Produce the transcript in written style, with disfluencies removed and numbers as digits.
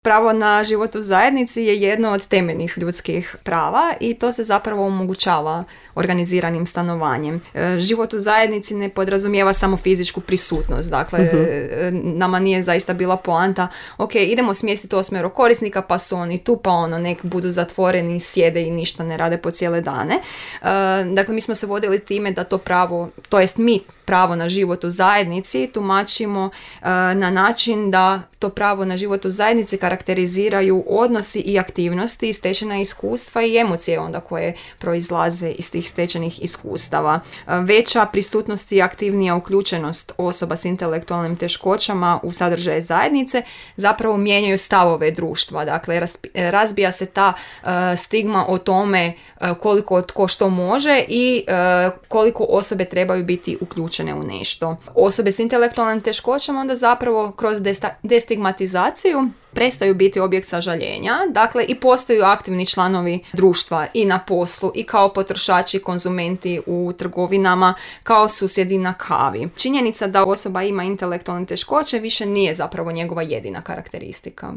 Pravo na život u zajednici je jedno od temeljnih ljudskih prava i to se zapravo omogućava organiziranim stanovanjem. Život u zajednici ne podrazumijeva samo fizičku prisutnost, dakle nama nije zaista bila poanta, ok, idemo smjestiti 8 korisnika pa su oni tu, pa nek budu zatvoreni, sjede i ništa ne rade po cijele dane. Dakle, mi smo se vodili time da to pravo, to jest mi pravo na život u zajednici tumačimo na način da to pravo na život u zajednici karakteriziraju odnosi i aktivnosti, stečena iskustva i emocije onda koje proizlaze iz tih stečenih iskustava. Veća prisutnost i aktivnija uključenost osoba s intelektualnim teškoćama u sadržaje zajednice zapravo mijenjaju stavove društva. Dakle, razbija se ta stigma o tome koliko tko što može i koliko osobe trebaju biti uključene u nešto. Osobe s intelektualnim teškoćama onda zapravo kroz destigmatizaciju prestaju biti objekt sažaljenja, dakle i postaju aktivni članovi društva i na poslu i kao potrošači, konzumenti u trgovinama, kao susjedi na kavi. Činjenica da osoba ima intelektualne teškoće više nije zapravo njegova jedina karakteristika.